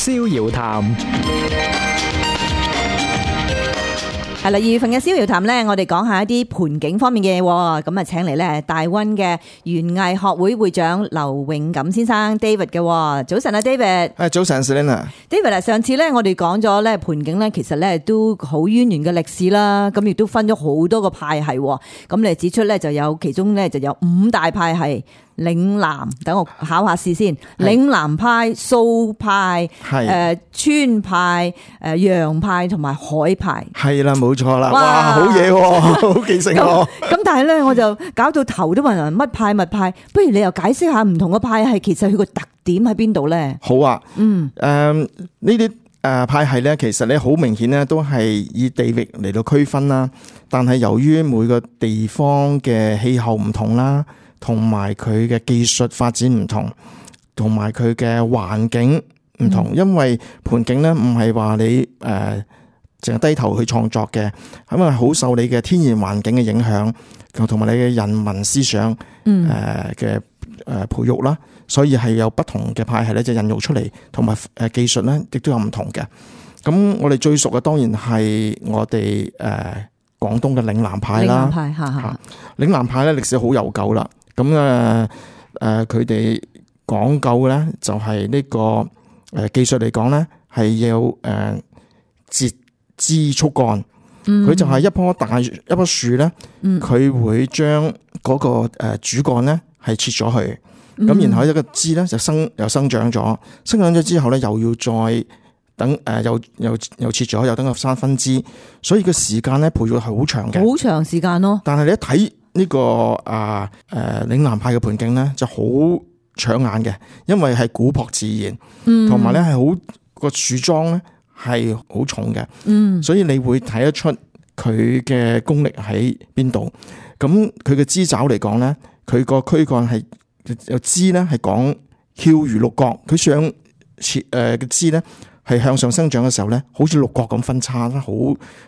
逍遙談。係啦，2月份嘅逍遙談咧，我哋講下一啲盆景方面嘅嘢。咁啊，請嚟咧大溫嘅園藝學會會長劉永錦先生 David 嘅。早晨啊 David。早晨 Selena。David 啊，上次咧我哋講咗咧盆景咧，其實咧都好淵源嘅歷史啦。咁亦都分咗好多個派系。咁你指出咧就有其中咧就有5大派系。嶺南，等我考下試先。嶺南派、蘇派、川派、洋派同埋海派。係啦，冇錯啦。哇，好嘢喎，好記性喎。咁但係咧，我就搞到頭都暈暈，乜派乜派。不如你又解釋下唔同嘅派系，其實佢個特點喺邊度咧？好啊。呢啲派系咧，其實咧好明顯咧，都係以地域嚟到區分啦。但係由於每個地方嘅氣候唔同啦，同埋佢嘅技術發展唔同，同埋佢嘅環境唔同，因為盆景咧唔係話你淨係低頭去創作嘅，咁啊好受你嘅天然環境嘅影響，同埋你嘅人文思想嘅培育啦，所以係有不同嘅派系咧就孕育出嚟，同埋技術咧亦都有唔同嘅。咁我哋最熟嘅當然係我哋廣東嘅嶺南派啦。嶺南派咧歷史好悠久啦。咁佢哋講究咧就係呢個技術嚟講咧係要截枝束幹，佢就係一棵樹咧，佢會將嗰個主幹咧係切咗去，咁然後一個枝咧就生長咗，生長咗之後咧又要再等又切咗，又等佢生分枝，所以個時間咧培育係好長嘅，好長時間咯。但係你一睇呢個嶺南派嘅盆景咧就好搶眼嘅，因為係古樸自然，同埋咧係好個樹樁咧係好重嘅，所以你會睇得出佢嘅功力喺邊度。咁佢嘅枝爪嚟講咧，佢個軀幹係有枝咧係講翹如六角，佢上嘅枝咧係向上生長嘅時候咧，好似六角咁分叉啦，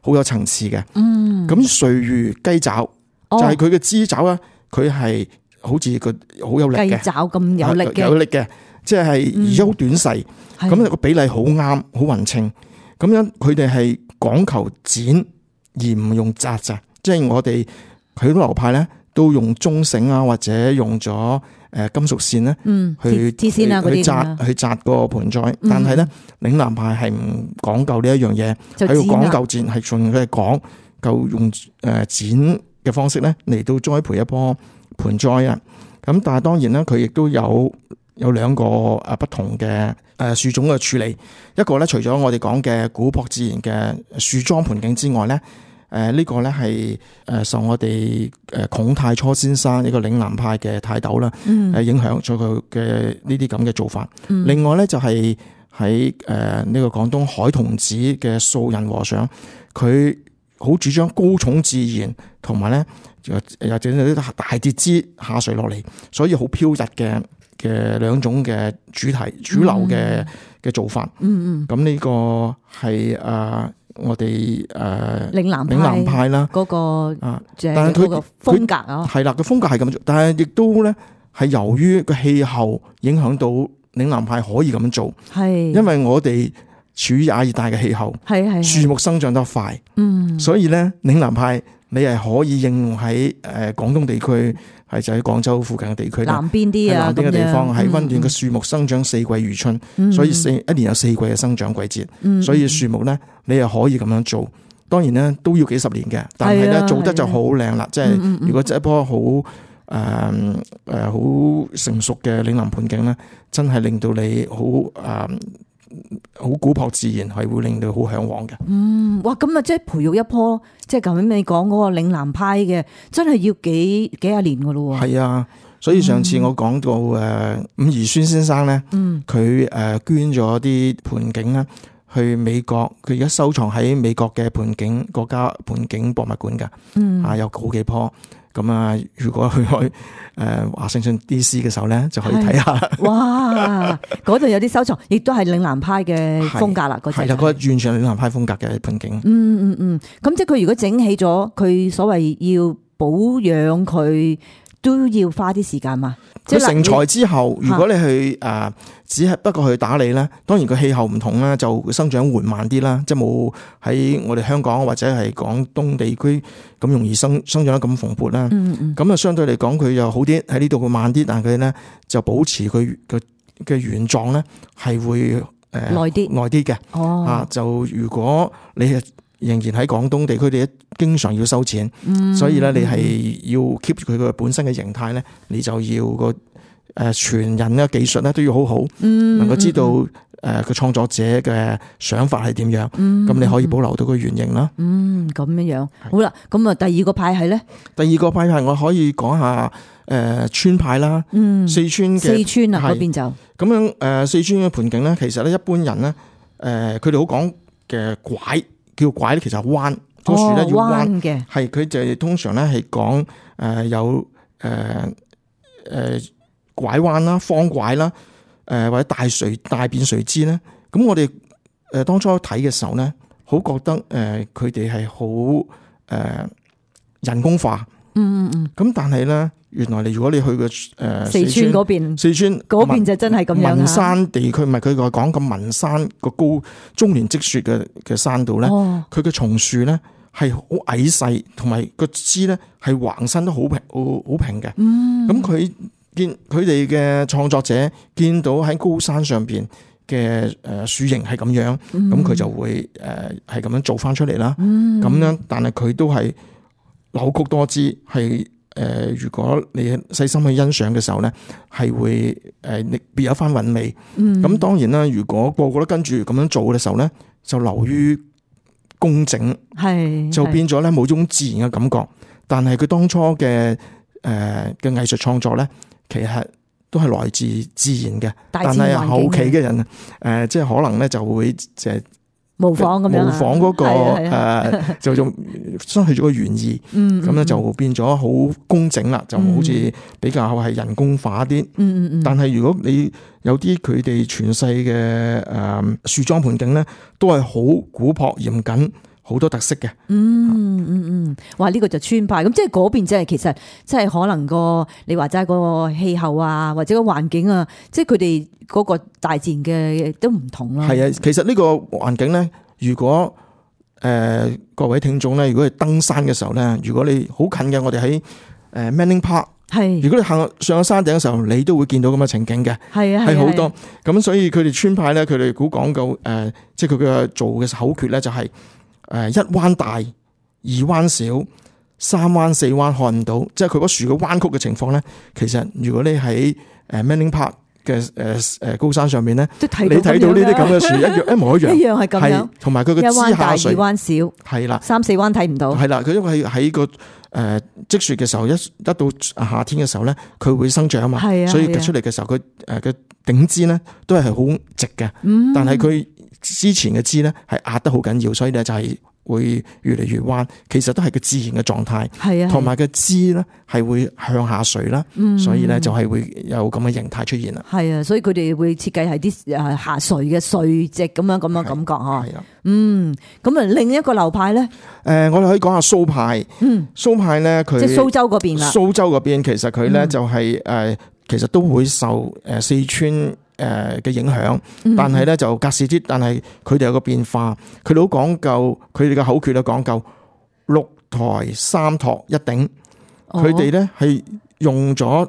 好有層次嘅。咁垂如雞爪。就係佢嘅枝爪咧，佢係好似個好有力嘅，雞爪咁有力嘅，即係而且好短細，咁個比例好啱，好勻稱。咁樣佢哋係講求剪而唔用紮咋，即係我哋許多流派咧都用中繩啊，或者用咗金屬線咧，去紮個盆栽。但係咧嶺南派係唔講究呢一樣嘢，係要講究剪，係從佢哋講究用剪嘅方式咧嚟到栽培一棵盆栽啊，咁但係當然啦，佢亦都有2個不同嘅樹種嘅處理。一個咧，除咗我哋講嘅古樸自然嘅樹樁盆景之外咧，呢個咧係受我哋孔太初先生一個嶺南派嘅泰斗啦，影響咗佢嘅呢啲咁嘅做法。另外咧就係喺呢個廣東海童子嘅素人和尚，佢好主張高寵自然，同埋咧又整啲大節枝下垂落嚟，所以好飄逸嘅2種嘅主流嘅做法。咁呢個係我哋嶺南派啦嗰個但係佢個風格啊，係啦，個風格係咁做，但係亦都咧係由於個氣候影響到嶺南派可以咁做，係因為我哋處於亞熱帶嘅氣候，樹木生長得快，所以咧嶺南派你係可以應用喺廣東地區，係就喺廣州附近嘅地區，南邊啲啊，南邊嘅地方喺溫暖嘅樹木生長，4季如春，所以一年有4季嘅生長季節，所以樹木咧你係可以咁樣做。當然咧都要幾十年嘅，但係咧做得就好靚啦。即係如果一棵好好成熟嘅嶺南盆景咧，真係令到你好古樸自然，係會令到好向往嘅。哇！咁啊，即係培育一棵，即係頭先你講嗰個嶺南派嘅，真係要幾廿年噶咯。係啊，所以上次我講到伍宜孫先生咧，佢捐咗啲盆景咧去美國，佢而家收藏喺美國嘅國家盆景博物館噶。有好幾棵。咁啊，如果去華盛頓 DC 嘅時候咧，就可以睇下。哇！嗰度有啲收藏，亦都係嶺南派嘅風格啦。係啦，嗰個完全係嶺南派風格嘅盆景。咁即係佢如果整起咗，佢所謂要保養佢都要花啲時間嘛。佢成材之後，如果你去只係不過去打理咧，當然個氣候唔同啦，就生長緩慢啲啦，即係冇喺我哋香港或者係廣東地區咁容易生長得咁蓬勃啦。咁啊，相對嚟講佢又好啲，喺呢度會慢啲，但係佢咧就保持佢嘅原狀咧係會耐啲嘅。就如果你係仍然喺廣東地區，你經常要收錢，所以咧你係要 keep 住佢個本身嘅形態咧，你就要個傳人嘅技術咧都要好好，能夠知道個創作者嘅想法係點樣，咁你可以保留到個原型啦。咁樣好啦，咁啊第二個派系咧？第二個派系我可以講下川派啦，四川啊嗰邊就咁樣四川嘅盆景咧，其實咧一般人咧佢哋好講嘅拐。叫拐咧，其實係彎，個樹咧要彎嘅，係佢就通常咧係講有拐彎啦、方拐啦，或者大便垂枝咧。咁我哋當初睇嘅時候咧，好覺得佢哋係好人工化。咁但係咧，原來如果你去個四川嗰邊，四川嗰邊就真係咁樣。文山地區唔係佢個講咁文山個高終年積雪嘅山度咧，佢嘅松樹咧係好矮細，同埋個枝咧係橫身都好平嘅。咁佢哋嘅創作者見到喺高山上邊嘅樹形係咁樣，咁佢就會係咁樣做翻出嚟啦。咁樣，但係佢都係扭曲多姿，係如果你細心去欣賞嘅時候咧，係會別有番韻味。咁當然啦，如果個個都跟住咁樣做嘅時候咧，就流於工整，就變咗咧冇種自然嘅感覺。但係佢當初嘅藝術創作咧，其實都係來自自然嘅。但係後期嘅人即係可能咧就會模仿嗰個就仲失去咗個原意，咁咧就變咗好工整啦，就好似比較係人工化啲。但係如果你有啲佢哋傳世嘅樹裝盆景咧，都係好古樸嚴謹，好多特色嘅。哇！呢個就川派，咁即係嗰邊即係其實即係可能你話齋個氣候啊，或者個環境啊，即係佢哋嗰個大自然嘅都唔同啦。係啊，其實呢個環境咧，如果各位聽眾咧，如果係登山嘅時候咧，如果你好近嘅，我哋喺Manning Park，如果你行上山頂嘅時候，你都會見到咁嘅情景嘅，係好多。咁所以佢哋川派咧，佢哋好講究即係佢嘅做嘅口訣咧，就係一彎大，二彎小，三彎四彎看唔到，即係佢嗰樹嘅彎曲嘅情況咧。其實如果你喺Manning Park嘅高山上面咧，你睇到呢啲咁嘅樹一模一樣係咁樣，同埋佢嘅枝下垂，一彎大二彎小，係啦，三四彎睇唔到，係啦。佢因為喺個積雪嘅時候，一到夏天嘅時候咧，佢會生長啊嘛，所以出嚟嘅時候，佢嘅頂枝咧都係好直嘅，但係佢之前嘅枝咧係壓得好緊要，所以咧就係會越嚟越彎，其實都係個自然嘅狀態，同埋個枝咧係會向下垂啦，所以咧就係會有咁嘅形態出現啦。係啊，所以佢哋會設計係啲下垂嘅垂直咁樣感覺嗬。係啊，咁啊另一個流派咧，我哋可以講下蘇派。蘇派咧佢即係蘇州嗰邊啦。蘇州嗰邊其實佢咧就係其實都會受四川嘅影響，但係咧就隔時啲，但係佢哋有個變化，佢哋好講究，佢哋嘅口訣都講究六台三托一頂，佢哋咧係用咗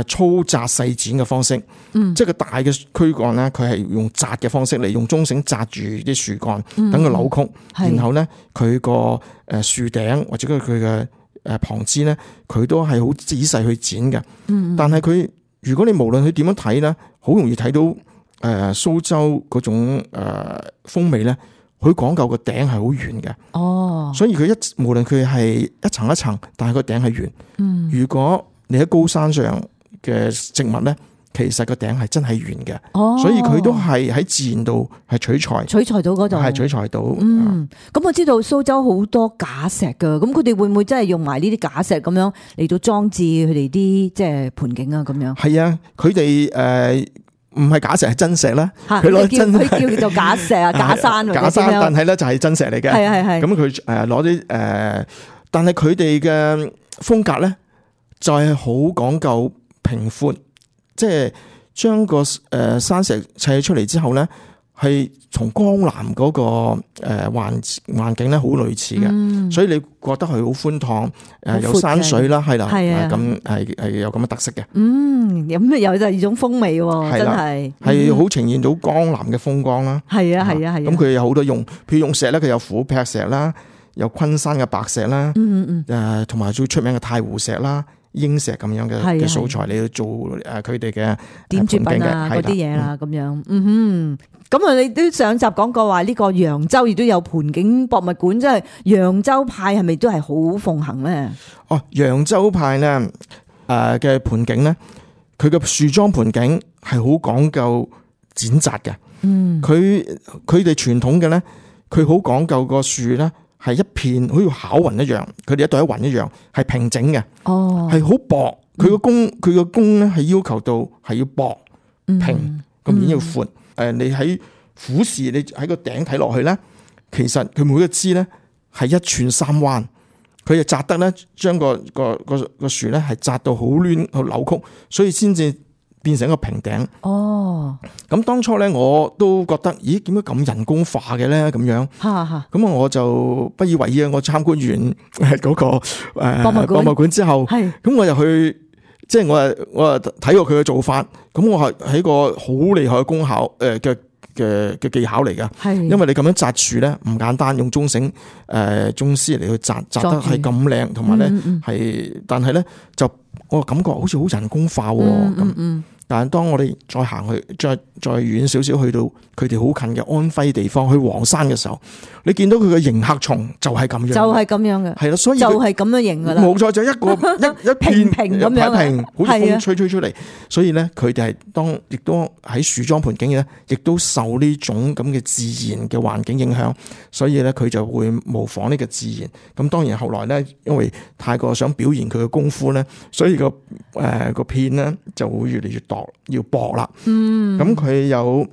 粗紮細剪嘅方式，即係個大嘅軀幹咧，佢係用紮嘅方式嚟，用中繩紮住啲樹幹，等佢扭曲，然後咧佢個樹頂或者佢嘅旁枝咧，佢都係好仔細去剪嘅，但係佢如果你無論佢點樣睇咧，好容易睇到蘇州嗰種風味咧，佢講究個頂係好圓嘅。所以佢無論佢係一層一層，但係個頂係圓。如果你喺高山上嘅植物咧，其實個頂係真係圓嘅。所以佢都係喺自然度係取材到嗰度，係取材到。咁我知道蘇州好多假石噶，咁佢哋會唔會真係用埋呢啲假石咁樣嚟到裝置佢哋啲即係盆景啊？咁樣係啊，佢哋唔係假石，係真石啦。佢叫做假石啊，假山，但係咧就係真石嚟嘅。係。咁佢攞啲但係佢哋嘅風格咧就係好講究平闊，即係將個山石砌出嚟之後咧，係同江南嗰個環境咧好類似嘅，所以你覺得佢好寬敞，有山水啦，係啦，咁係有咁嘅特色嘅。咁有第二種風味喎，真係好呈現到江南嘅風光啦。係啊。咁佢有好多用，譬如用石咧，佢有虎劈石啦，有昆山嘅白石啦，同埋最出名嘅太湖石啦、英石咁樣嘅素材嚟做佢哋嘅點綴品啊嗰啲嘢啦，咁樣。咁啊，你都上集講過話呢個揚州亦都有盆景博物館，即係揚州派係咪都係好奉行咧？揚州派咧嘅盆景咧，佢嘅樹樁盆景係好講究剪紮嘅。佢哋傳統嘅咧，佢好講究個樹咧係一片好似巧雲一樣，佢哋一對一雲一樣係平整嘅。係好薄，佢個弓咧係要求到係要薄平，個面要闊。你喺俯視，你喺個頂睇落去咧，其實佢每個枝咧係一寸三彎，佢就紮得咧，將個樹咧係紮到好亂好扭曲，所以先至變成一個平頂。咁當初咧我都覺得，咦，點解咁人工化嘅咧？咁樣，咁我就不以為意啊！我參觀完嗰個博物館之後，咁我就去。即係我睇過佢嘅做法，咁我係喺個好厲害嘅功效嘅技巧嚟㗎。因為你咁樣紮樹咧唔簡單，用中繩中絲嚟去紮得係咁靚，同埋咧係，但係咧就我感覺好似好人工化咁。但係當我哋再行去再遠少少，去到佢哋好近嘅安徽地方，去黃山嘅時候，你見到佢嘅迎客松就係咁樣，就係咁樣嘅，係啦，所以就係咁樣迎噶啦，冇錯，就一個一片平咁樣，平好似風吹出嚟，所以咧佢哋係亦都喺樹樁盆景咧，亦都受呢種咁嘅自然嘅環境影響，所以咧佢就會模仿呢個自然。咁當然後來咧，因為太過想表現佢嘅功夫咧，所以個片咧就會越嚟越要薄啦。咁佢有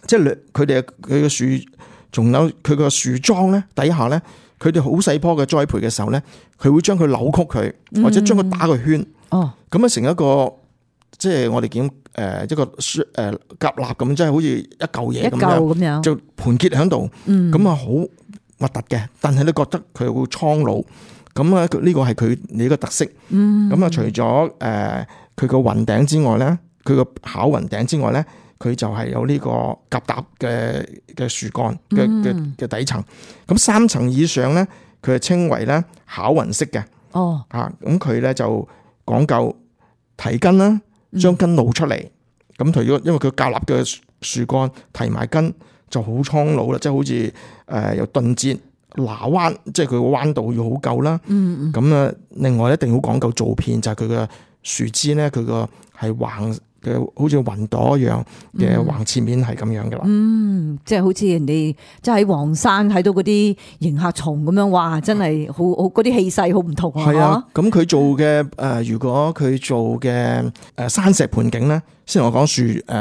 即係佢嘅樹，仲有佢個樹樁咧底下咧，佢哋好細棵嘅栽培嘅時候咧，佢會將佢扭曲佢，或者將佢打個圈。咁樣成一個即係我哋見一個夾納咁，即係好似一嚿嘢咁樣，就盤結喺度。咁啊好核突嘅，但係你覺得佢會蒼老。咁啊呢個係佢呢個特色。咁啊除咗佢個雲頂之外咧，佢個巧雲頂之外咧，佢就係有呢個夾搭嘅樹幹嘅底層。咁3層以上咧，佢係稱為咧巧雲式嘅。咁佢咧就講究提根啦，將根露出嚟。咁除咗因為佢夾立嘅樹幹提埋根，就好蒼老啦，即係好似有頓折拿彎，即係佢個彎度要好夠啦。咁啊，另外一定好講究造片，就係佢嘅樹枝咧，佢個係橫嘅，好似雲朵一樣嘅橫切面係咁樣噶啦。即係好似人哋即係喺黃山睇到嗰啲迎客松咁樣，哇！真係好嗰啲氣勢好唔同啊。係啊，咁佢做嘅如果佢做嘅山石盆景咧，先同我講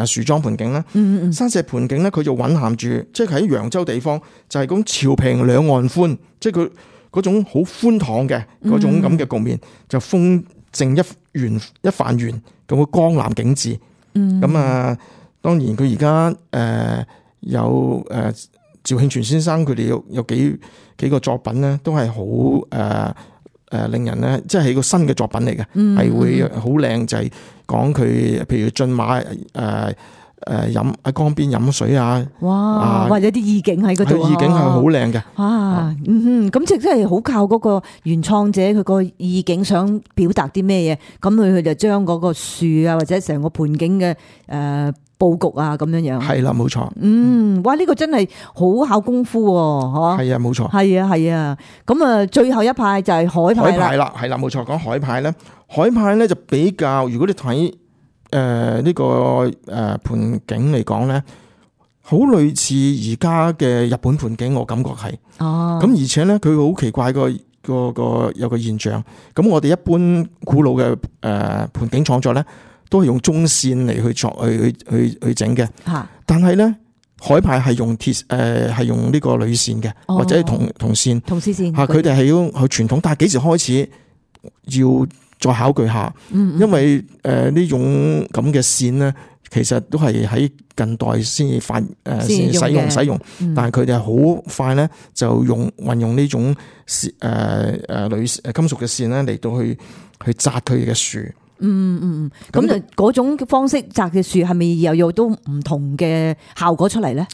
樹樁盆景啦。山石盆景咧，佢就蘊含住，即係喺揚州地方就係講潮平兩岸寬，即係佢嗰種好寬敞嘅嗰種咁嘅局面，就風正一瓣圓咁嘅江南景致。咁當然佢而家有趙慶全先生佢哋有幾個作品咧，都係好令人咧，即係個新嘅作品嚟嘅，係會好靚，就係講佢譬如駿馬飲喺江邊飲水啊，哇！或者啲意境喺嗰度，意境係好靚嘅。哇，咁即係真係好靠嗰個原創者佢個意境想表達啲咩嘢，咁佢就將嗰個樹啊或者成個盆景嘅佈局啊咁樣樣。係啦，冇錯。哇！呢個真係好考功夫喎，係啊，冇錯。係啊。咁啊，最後一派就係海派啦。海派啦，係啦，冇錯。講海派咧，海派咧就比較，如果你睇呢個盆景嚟講咧，好類似而家嘅日本盆景，我感覺係。咁而且咧，佢好奇怪個有個現象。咁我哋一般古老嘅盆景創作咧，都係用中線嚟去整嘅。但係咧，海派係用係用呢個鋁線嘅，或者係銅線。銅絲線。佢哋係要去傳統，但係幾時開始要再考據下，因為呢種咁嘅線咧，其實都係喺近代先至先使用，但係佢哋係好快咧就運用呢種金屬嘅線咧嚟到去紮佢嘅樹。咁就嗰種方式紮嘅樹係咪又有都唔同嘅效果出嚟咧？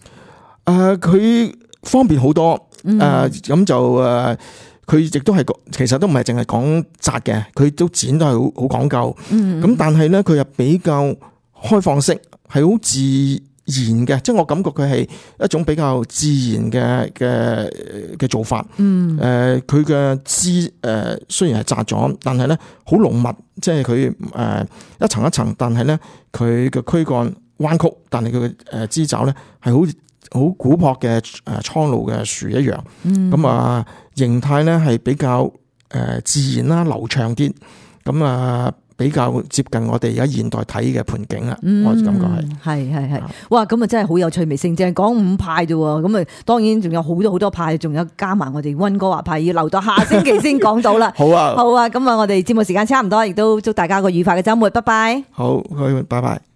佢方便好多，咁就佢亦都係其實都唔係淨係講紮嘅，佢都剪都係好講究。咁但係咧，佢又比較開放式，係好自然嘅，即係我感覺佢係一種比較自然嘅做法。佢嘅枝雖然係紮咗，但係咧好濃密，即係佢一層一層，但係咧佢嘅軀幹彎曲，但係佢嘅枝爪咧係好古樸嘅蒼老嘅樹一樣。咁形態咧係比較自然啦，流暢啲。咁比較接近我哋而家現代睇嘅盆景啦，我感覺係，哇！咁真係好有趣味性，淨係講5派啫喎，咁當然仲有好多派，仲有加埋我哋溫哥華派，要留到下星期先講到啦。好啊，咁我哋節目時間差唔多，亦都祝大家個愉快嘅週末，拜拜。好，拜拜。